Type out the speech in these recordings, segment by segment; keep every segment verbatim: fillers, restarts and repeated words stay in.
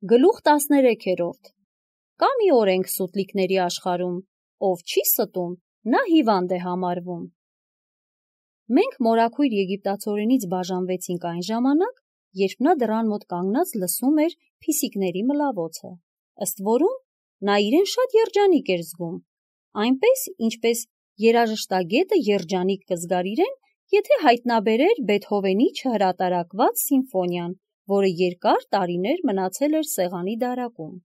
Գլուխ տասներեքերորդ Կա մի օրենք սուտլիկների աշխարհում, ով չի ստում, նա հիվանդ է համարվում։ Մենք մորաքույր եգիպտացորենից բաժանվեցինք այն ժամանակ, երբ նա դռան մոտ կանգնած լսում էր փիսիկների մլավոցը, ըստ որում նա իրեն շատ երջանիկ էր զգում, այնպես, ինչպես երաժշտագետը երջանիկ կզգար իրեն, եթե հայտնաբերեր Բեթհովենի չհրատարակված սիմֆոնիան, որը երկար տարիներ մնացել էր սեղանի դարակում։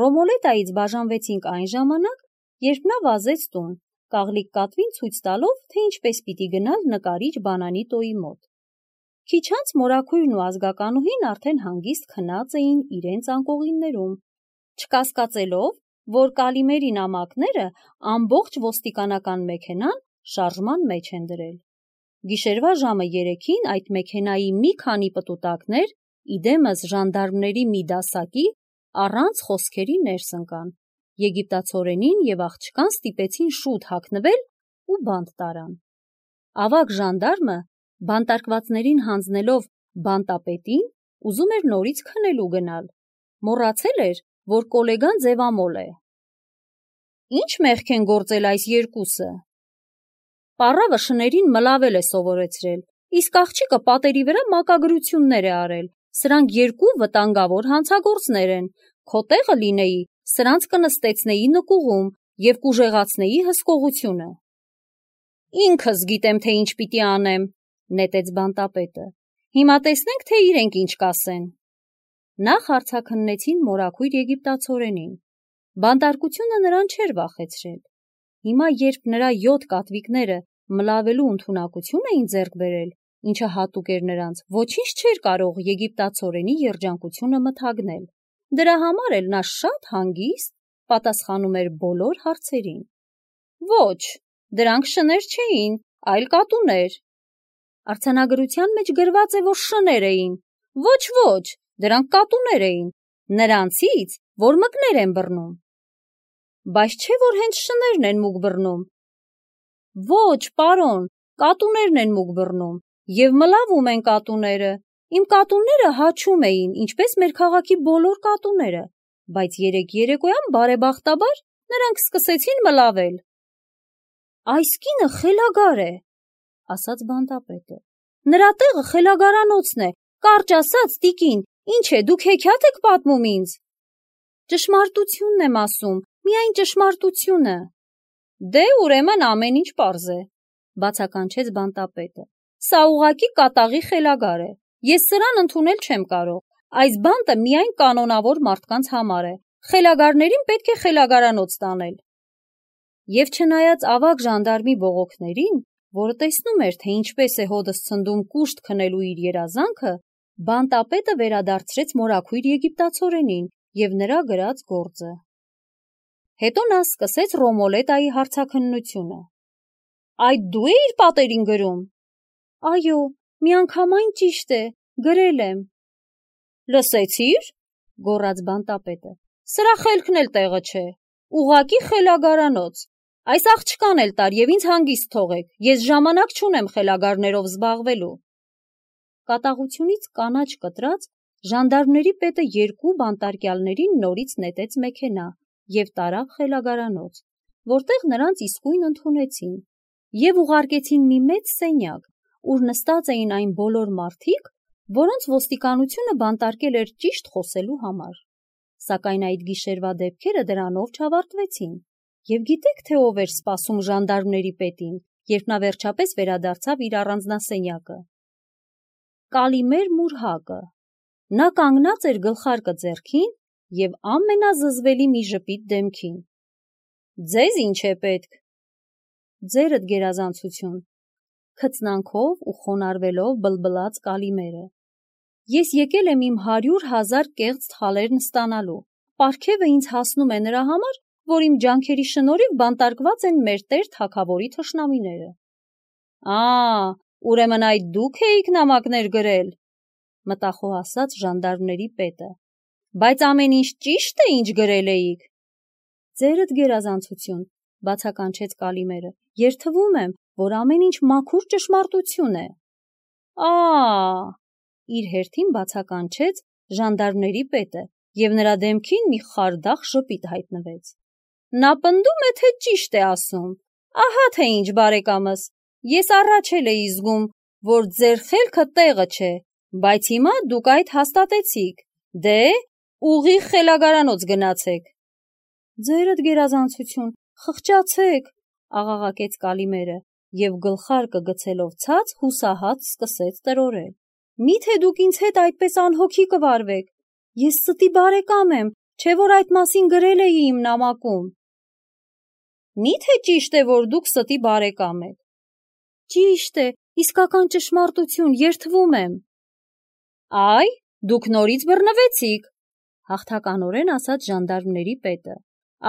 Ռոմոլետայից բաժանվեցինք այն ժամանակ, երբ նա վազեց տուն, կաղլիկ կատվին ցույց տալով, թե ինչպես պիտի գնալ նկարիչ բանանի տոյի մոտ։ Քիչ անց մորաքույրն ու ազգականուհին արդեն հանգիստ քնած էին իրենց անկողիններում, չկասկածելով, որ Կալիմերի նամակները ամբողջ ոստիկանական մեքենան շարժման մեջ են դրել։ Գիշերվա ժամը երեքին այդ մեքենայի մի քանի պտուտակներ, իդեմս ժանդարմների մի դասակի, առանց խոսքերի ներս ընկան, եգիպտացորենին և աղջկան ստիպեցին շուտ հագնվել ու բանտ տարան։ Ավագ ժանդարմը, բանտարկվածներին հանձնելով բանտապետին, ուզում էր նորից քնելու գնալ, մոռացել էր, որ կոլեգան ձևամոլ է։ Ինչ մեղք են գործել այս երկուսը։ Պառավը շներին մլավել է սովորեցրել, իսկ աղջիկը պատերի վրա մակագրություններ է արել, սրանք երկու վտանգավոր հանցագործներ են, քո տեղը լինեի, սրանց կնստեցնեի նկուղում և կուժեղացնեի հսկողությունը։ Ինքս գիտեմ, թե ինչ պիտի անեմ, նետեց բանտապետը, հիմա տեսնենք, թե իրենք ինչ կասեն։ Նախ հարցաքննեցին մորաքույր եգիպտացորենին, բանտարկությունը նրան չէր վախեցրել։ Հիմա, երբ նրա յոթ կատվիկները մլավելու ընդունակություն էին ձեռք բերել, ինչը հատուկ էր նրանց, ոչինչ չէր կարող եգիպտացորենի երջանկությունը մթագնել։ Դրա համար էլ նա շատ հանգիստ պատասխանում էր բոլոր հարցերին։ Ոչ, դրանք շներ չէին, այլ կատուներ։ Արձանագրության մեջ գրված է, որ շներ էին։ Ոչ, ոչ, դրանք կատուներ էին, նրանցից, որ մկներ են բռնում։ Բայց չէ, որ հենց շներն են մուկ բռնում։ Ոչ, պարոն, կատուներն են մուկ բռնում, և մլավում են կատուները։ Իմ կատուները հաչում էին, ինչպես մեր քաղաքի բոլոր կատուները, բայց երեկ երեկոյան բարեբախտաբար նրանք սկսեցին մլավել։ Այս կինը խելագար է, ասաց բանտապետը։ Նրա տեղը խելագարանոցն է, կարճ ասած, տիկին, ինչ է, դուք հեքիաթ եք պատմում ինձ։ Ճշմարտությունն եմ ասում, միայն ճշմարտությունը։ Դե ուրեմն ամեն ինչ պարզ է, բացականչեց բանտապետը։ Սա ուղղակի կատաղի խելագար է։ Ես սրան ընդունել չեմ կարող։ Այս բանտը միայն կանոնավոր մարդկանց համար է։ Խելագարներին պետք է խելագարանոց տանել։ Եվ չնայած ավագ ժանդարմի բողոքներին, որը տեսնում էր, թե ինչպես է հոդս ցնդում կուշտ քնելու իր երազանքը, բանտապետը վերադարձրեց մորաքույր եգիպտացորենին և նրա գրած գործը։ Հետո նա սկսեց Ռոմոլետայի հարցաքննությունը։ Այդ դու էիր պատերին գրում։ Այո, միանգամայն ճիշտ է, գրել եմ։ Լսեցի՞ր, գոռաց բանտապետը։ Սրա խելքն էլ տեղը չէ։ Ուղղակի խելագարանոց։ Այս աղջկան էլ տար և ինձ հանգիստ թողեք, ես ժամանակ չունեմ խելագարներով զբաղվելու։ Կատաղությունից կանաչ կտրած, ժանդարմների պետը երկու բանտարկյալներին նորից նետեց մեքենա և տարավ խելագարանոց, որտեղ նրանց իսկույն ընդունեցին և ուղարկեցին մի մեծ սենյակ, ուր նստած էին այն բոլոր մարդիկ, որոնց ոստիկանությունը բանտարկել էր ճիշտ խոսելու համար։ Սակայն այդ գիշերվա դեպքերը դրանով չավարտվեցին։ Եվ գիտեք, թե ով էր սպասում ժանդարմների պետին, երբ նա վերջապես վերադարձավ իր առանձնասենյակը։ Կալիմեր Մուրհակը։ Նա կանգնած էր գլխարկը ձեռքին և ամենազզվելի մի ժպիտ դեմքին։ Ձեզ ինչ է պետք։ Ձերդ գերազանցություն, քծնանքով ու խոնարհվելով բլբլաց Կալիմերը։ Ես եկել եմ իմ հարյուր հազար կեղծ թալերն ստանալու։ Պարգևը ինձ հասնում է նրա համար, որ իմ ջանքերի շնորհիվ բանտարկված են մեր տեր թագավորի թշնամիները։ Ա, ուրեմն այդ դուք էիք նամակներ գրել, մտախոհ ասաց ժանդարմների պետը։ Բայց ամեն ինչ ճիշտ է, ինչ գրել էիք։ Ձերդ գերազանցություն, բացականչեց Կալիմերը, երդվում եմ, որ ամեն ինչ մաքուր ճշմարտություն է։ Ա, իր հերթին բացականչեց ժանդարմների պետը և նրա դեմքին մի խարդախ ժպիտ հայտնվեց։ Նա պնդում է, թե ճիշտ է ասում։ Ահա թե ինչ, բարեկամս, ես առաջ էլ էի զգում, որ ձեր խելքը տեղը չէ, բայց հիմա դուք այդ հաստատեցիք։ Դե, ուղիղ խելագարանոց գնացեք։ Ձերդ գերազանցություն, խղճացեք, աղաղակեց Կալիմերը, և գլխարկը գցելով ցած հուսահատ սկսեց տրորել։ Միթե դուք ինձ հետ այդպես անհոգի կվարվեք։ Ես ստի բարեկամ եմ, չէ որ այդ մասին գրել էի իմ նամակում։ Միթե ճիշտ է, որ դուք ստի բարեկամ եք։ Ճիշտ է, իսկական ճշմարտություն, երդվում եմ։ Այ, դուք նորից բռնվեցիք, հաղթականորեն ասաց ժանդարմների պետը։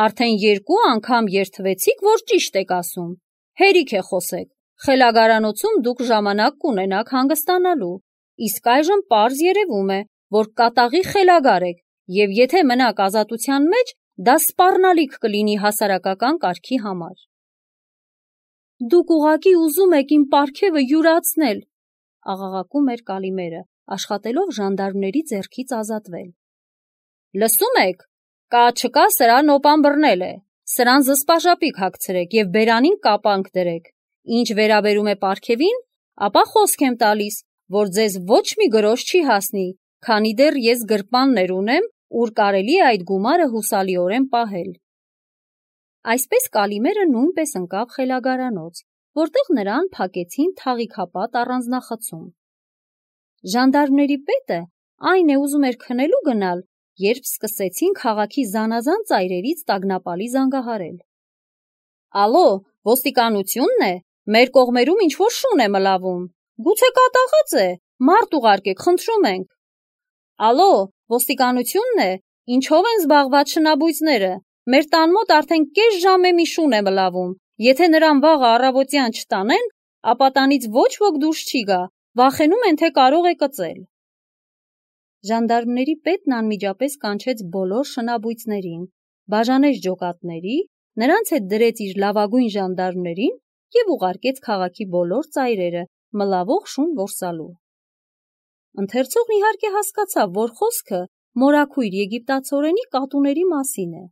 Արդեն երկու անգամ երդվեցիք, որ ճիշտ եք ասում։ Հերիք է խոսեք, խելագարանոցում դուք ժամանակ կունենաք հանգստանալու, իսկ այժմ պարզ երևում է, որ կատաղի խելագար եք, և եթե մնաք ազատության մեջ, դա սպառնալիք կլինի հասարակական կարգի համար։ Դուք ուղղակի ուզում եք իմ պարգևը յուրացնել, աղաղակում էր Կալիմերը, աշխատելով ժանդարմների ձեռքից ազատվել։ Լսում եք, կա չկա սրան օպան բռնել է, սրան զսպաժապիկ հագցրեք և բերանին կապանք դրեք, ինչ վերաբերում է պարգևին, ապա խոսք եմ տալիս, որ ձեզ ոչ մի գրոշ չի հասնի, քանի դեռ ես գրպաններ ունեմ, ուր կարելի է այդ գումարը հուսալիորեն պահել։ Այսպես Կալիմերը նույնպես ընկավ խելագարանոց, որտեղ նրան փակեցին թաղիքապատ առանձնախցում։ Ժանդարմների պետը այն է ուզում էր քնելու գնալ, երբ սկսեցին քաղաքի զանազան ծայրերից տագնապալի զանգահարել։ Ալո, ոստիկանությունն է, մեր կողմերում ինչ-որ շուն է մլավում, գուցե կատաղած է, մարդ ուղարկեք, խնդրում ենք։ Ալո, ոստիկանությունն է, ինչով են զբաղված շնաբույծները, մեր տան մոտ արդեն կես ժամ է մի շուն է մլավում, եթե նրան վաղը առավոտյան չտանեն, ապա տանից ոչ ոք դուրս չի գա, վախենում են, թե կարող է կծել։ Ժանդարմների պետն անմիջապես կանչեց բոլոր շնաբույծներին, բաժանեց ջոկատների, նրանց հետ դրեց իր լավագույն ժանդարմներին և ուղարկեց քաղաքի բոլոր ծայրերը մլավող շուն որսալու։ Ընթերցողն իհարկե հասկացավ, որ խոսքը մորաքույր եգիպտացորենի կատուների մասին է։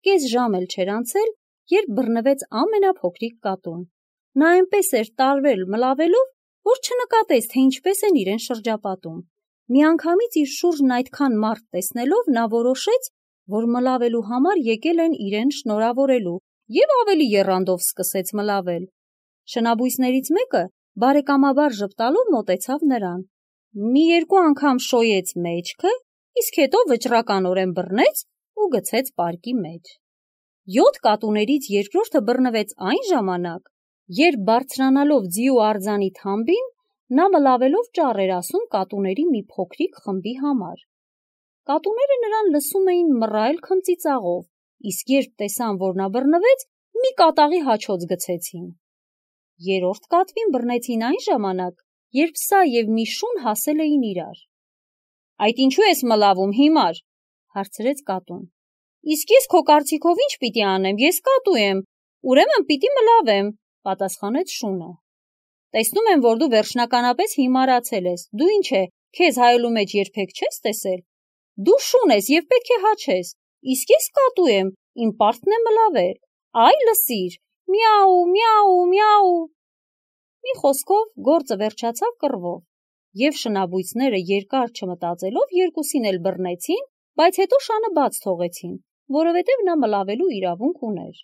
Կես ժամ էլ չէր անցել, երբ բռնվեց ամենափոքրիկ կատուն։ Նա այնպես էր տարվել մլավելով, որ չնկատեց, թե ինչպես են իրեն շրջապատում։ Միանգամից իր շուրջն այդքան մարդ տեսնելով, նա որոշեց, որ մլավելու համար եկել են իրեն շնորհավորելու և ավելի եռանդով սկսեց մլավել։ Շնաբույսներից մեկը բարեկամաբար ժպտալով մոտեցավ նրան, մի երկու անգամ շոյեց մեջքը, իսկ հետո վճռականորեն բռնեց ու գցեց պարկի մեջ։ Յոթ կատուներից երկրորդը բռնվեց այն ժամանակ, երբ բարձրանալով ձիու արձանի թամբին, նա մլավելով ճառ էր ասում կատուների մի փոքրիկ խմբի համար։ Կատուները նրան լսում էին մռայլ քմծիծաղով, իսկ երբ տեսան, որ նա բռնվեց, մի կատաղի հաչոց գցեցին։ Երրորդ կատվին բռնեցին այն ժամանակ, երբ սա և մի շուն հասել էին իրար։ Այդ ինչու ես մլավում, հիմար, հարցրեց կատուն։ Իսկ ես քո կարծիքով ինչ պիտի անեմ, ես կատու եմ, ուրեմն պիտի մլավեմ, պատասխանեց շունը։ Տեսնում եմ, որ դու վերջնականապես հիմարացել ես, դու ինչ է, քեզ հայելու մեջ երբեք չես տեսել։ Դու շուն ես և պետք է հաչես, իսկ ես կատու եմ, իմ պարտքն է մլավել, այ լսիր, միաու, միաու, միաու։ Մի խոսքով գործը վերջացավ կռվով, և շնաբույծները երկար չմտածելով երկուսին էլ բռնեցին, բայց հետո շանը բաց թողեցին, որովհետև նա մլավելու իրավունք ուներ։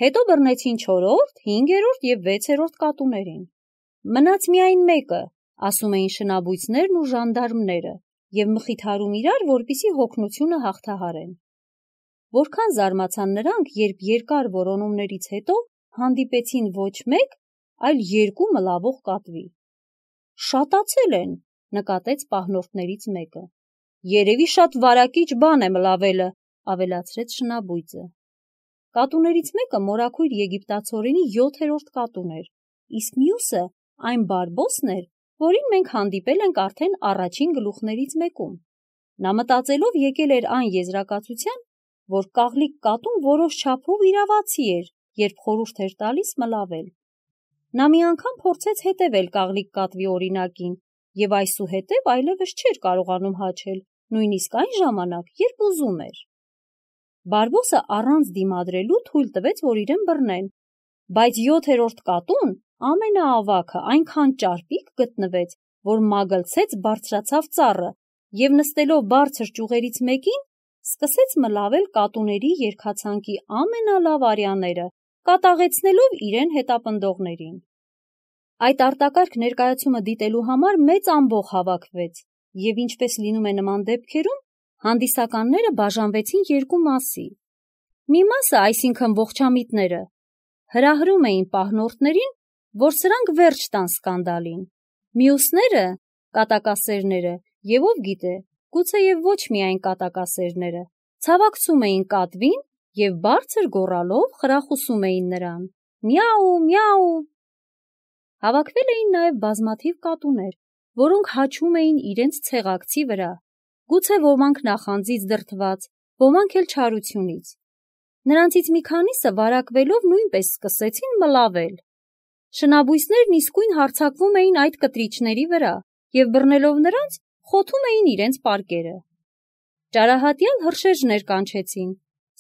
Հետո բռնեցին չորրորդ, հինգերորդ և վեցերորդ կատուներին։ Մնաց միայն մեկը, ասում էին շնաբույծներն ու ժանդարմները, և մխիթարում իրար, որպեսզի հոգնությունը հաղթահարեն։ Որքան զարմացան նրանք, երբ երկար որոնումներից հետո հանդիպեցին ոչ մեկ, այլ երկու մլավող կատվի։ Շատացել են, նկատեց պահնորդներից մեկը։ Երևի շատ վարակիչ բան է մլավելը, ավելացրեց շնաբույծը։ Կատուներից մեկը մորաքույր եգիպտացորենի յոթերորդ կատուն էր, իսկ մյուսը այն բարբոսն էր, որին մենք հանդիպել ենք արդեն առաջին գլուխներից մեկում։ Նա մտածելով եկել էր այն եզրակացության, որ կաղլիկ կատուն որոշ չափով իրավացի էր, երբ խորհուրդ էր տալիս մլավել։ Նա մի անգամ փորձեց հետևել կաղլիկ կատվի օրինակին և այսուհետև այլևս չէր կարողանում հաչել, նույնիսկ այն ժամանակ, երբ ուզում էր։ Բարբոսը առանց դիմադրելու թույլ տվեց, որ իրեն բռնեն, բայց յոթերորդ կատուն, ամենաավագը, այնքան ճարպիկ գտնվեց, որ մագլցեց բարձրացավ ծառը և նստելով բարձր ճյուղերից մեկին, սկսեց մլավել կատուների երգացանկի ամենալավ արյաները, կատաղեցնելով իրեն հետապնդողներին։ Այդ արտակարգ ներկայացումը դիտելու համար մեծ ամբոխ հավաքվեց, և ինչպես լինում է նման դեպքերում, հանդիսականները բաժանվեցին երկու մասի։ Մի մասը, այսինքն ողջամիտները, հրահրում էին պահնորդներին, որ սրանք վերջ տան սկանդալին, մյուսները, կատակասերները, և ով գիտե, գուցեև ոչ միայն կատակասերները, ցավակցում էին կատվին և բարձր գոռալով խրախուսում էին նրան. «Միաու, միաու»։ Հավաքվել էին նաև բազմաթիվ կատուներ, որոնք հաչում էին իրենց ցեղակցի վրա, գուցե ոմանք նախանձից դրդված, ոմանք էլ չարությունից։ Նրանցից մի քանիսը վարակվելով նույնպես սկսեցին մլավել։ Շնաբույսներն իսկույն հարձակվում էին այդ կտրիչների վրա և բռնելով նրանց, խոթում էին իրենց պարկերը։ Ճարահատյալ հրշեջներ կանչեցին,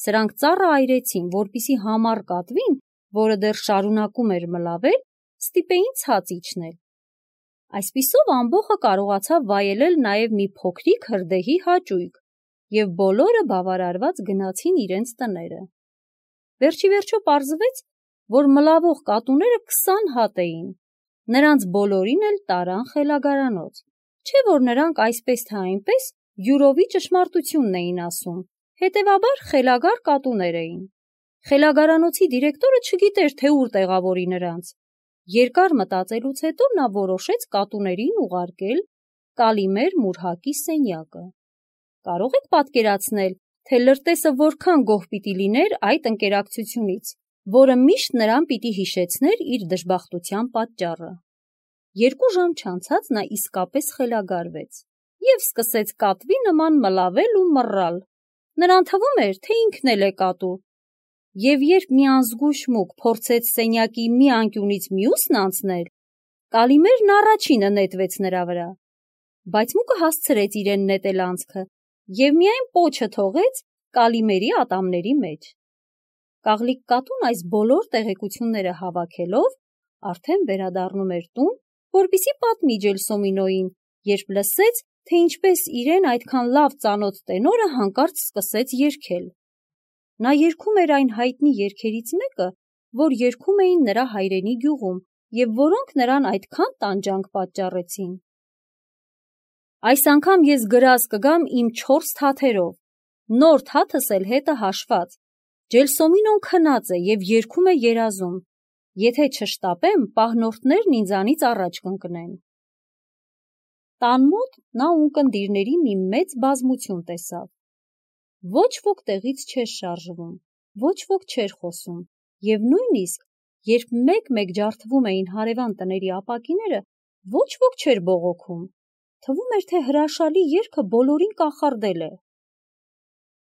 սրանք ծառը այրեցին, որպեսզի համառ կատվին, որը դեռ շարունակում էր մլավել, ստիպեին ցած իջնել։ Այսպիսով ամբոխը կարողացավ վայելել նաև մի փոքրիկ հրդեհի հաճույք, և բոլորը բավարարված գնացին իրենց տները։ Վերջիվերջո պարզվեց, որ մլավող կատուները քսան հատ էին, նրանց բոլորին էլ տարան խելագարանոց, չէ որ նրանք այսպես թե այնպես յուրովի ճշմարտությունն էին ասում, հետևաբար խելագար կատուներ էին։ Խելագարանոցի դիրեկտորը չգիտեր, թե ուր տեղավորի նրանց։ Երկար մտածելուց հետո նա որոշեց կատուներին ուղարկել Կալիմեր Մուրհակի սենյակը։ Կարող եք պատկերացնել, թե լրտեսը որքան գոհ պիտի լիներ այդ ընկերակցությունից, որը միշտ նրան պիտի հիշեցներ իր դժբախտության պատճառը։ Երկու ժամ չանցած նա իսկապես խելագարվեց և սկսեց կատվի նման մլավել ու մռալ։ Նրան թվում էր, թե ինքն էլ է կատու, և երբ մի անզգույշ մուկ փորձեց սենյակի մի անկյունից մյուսն անցնել, Կալիմերն առաջինը նետվեց նրա վրա, բայց մուկը հասցրեց իրեն նետել անցքը և միայն պոչը թողեց Կալիմերի ատամների մեջ։ Կաղլիկ կատուն այս բոլոր տեղեկությունները հավաքելով արդեն վերադառնում էր տուն, որպեսզի պատմի Ջելսոմինոյին, երբ լսեց, թե ինչպես իրեն այդքան լավ ծանոթ տենորը հանկարծ սկսեց երգել։ Նա երգում էր այն հայտնի երգերից մեկը, որ երգում էին նրա հայրենի գյուղում և որոնք նրան այդքան տանջանք պատճառեցին։ Այս անգամ ես գրազ կգամ իմ չորս թաթերով, նոր թաթս էլ հետը հաշված։ Ջելսոմինոն քնած է և երգում է երազում։ Եթե չշտապեմ, պահնորդներն ինձանից առաջ կընկնեն։ Տան մոտ նա ունկնդիրների մի մեծ բազմություն տեսավ։ Ոչ ոք տեղից չէր շարժվում, ոչ ոք չէր խոսում, և նույնիսկ, երբ մեկ-մեկ ջարդվում էին հարևան տների ապակիները, ոչ ոք չէր բողոքում, թվում էր, թե հրաշալի երգը բոլորին կախարդել է։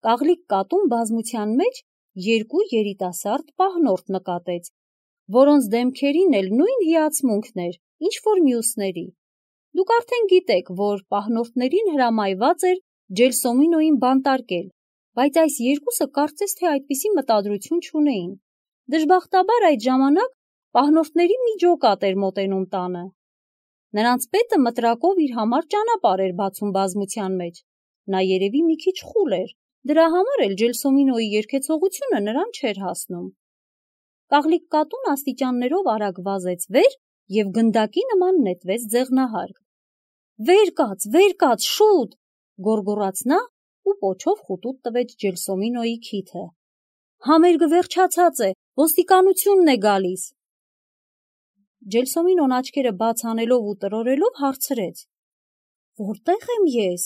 Կաղլիկ կատուն բազմության մեջ երկու երիտասարդ պահնորդ նկատեց, որոնց դեմքերին էլ նույն հիացմունքն էր, ինչ որ մյուսների։ Դուք արդեն գիտեք, որ պահնորդներին հրամայված էր Ջելսոմինոյին բանտարկել, բայց այս երկուսը կարծես թե այդպիսի մտադրություն չունեին։ Դժբախտաբար այդ ժամանակ պահնորդների մի ջոկատ էր մոտենում տանը։ Նրանց պետը մտրակով իր համար ճանապարհ էր բացում բազմության մեջ։ Նա երևի մի քիչ խուլ էր, դրա համար էլ Ջելսոմինոյի երգեցողությունը նրան չէր հասնում։ Կաղլիկ կատուն աստիճաններով արագ վազեց վեր և գնդակի նման նետվեց ձեղնահարկ։ «Վեր կաց, վեր կաց, շուտ», գոռգոռաց նա ու պոչով խուտուտ տվեց Ջելսոմինոյի քիթը։ «Համերգը վերջացած է, ոստիկանությունն է գալիս»։ Ջելսոմինոն աչքերը բաց անելով ու տրորելով հարցրեց. «Որտե՞ղ եմ ես»։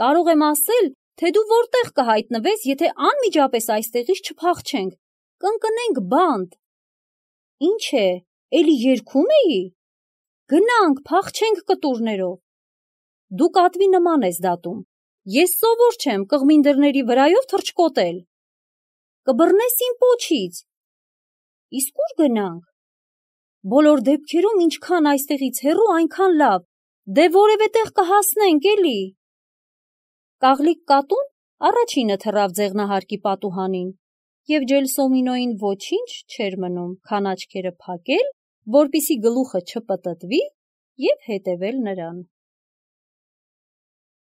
«Կարող եմ ասել, թե դու որտեղ կհայտնվես, եթե անմիջապես այստեղից չփախչենք, կընկնենք բանտ»։ «Ինչ է, էլի երգում էի»։ «Գնանք, փախչենք կտուրներով»։ «Դու կատվի նման ես դատում, ես սովոր չեմ կղմին դռների վրայով թռչկոտել»։ «Կբռնես իմ պոչից»։ «Իսկ ուր գնանք»։ «Բոլոր դեպքերում ինչքան այստեղից հեռու, այնքան լավ, դե որևէ տեղ կհասնենք էլի»։ Կաղլիկ կատուն առաջինը թռավ ձեղնահարկի պատուհանին, և Ջելսոմինոյին ոչինչ չէր մնում, քան աչքերը փակել, որպեսզի գլուխը չպտտվի, և հետևել նրան: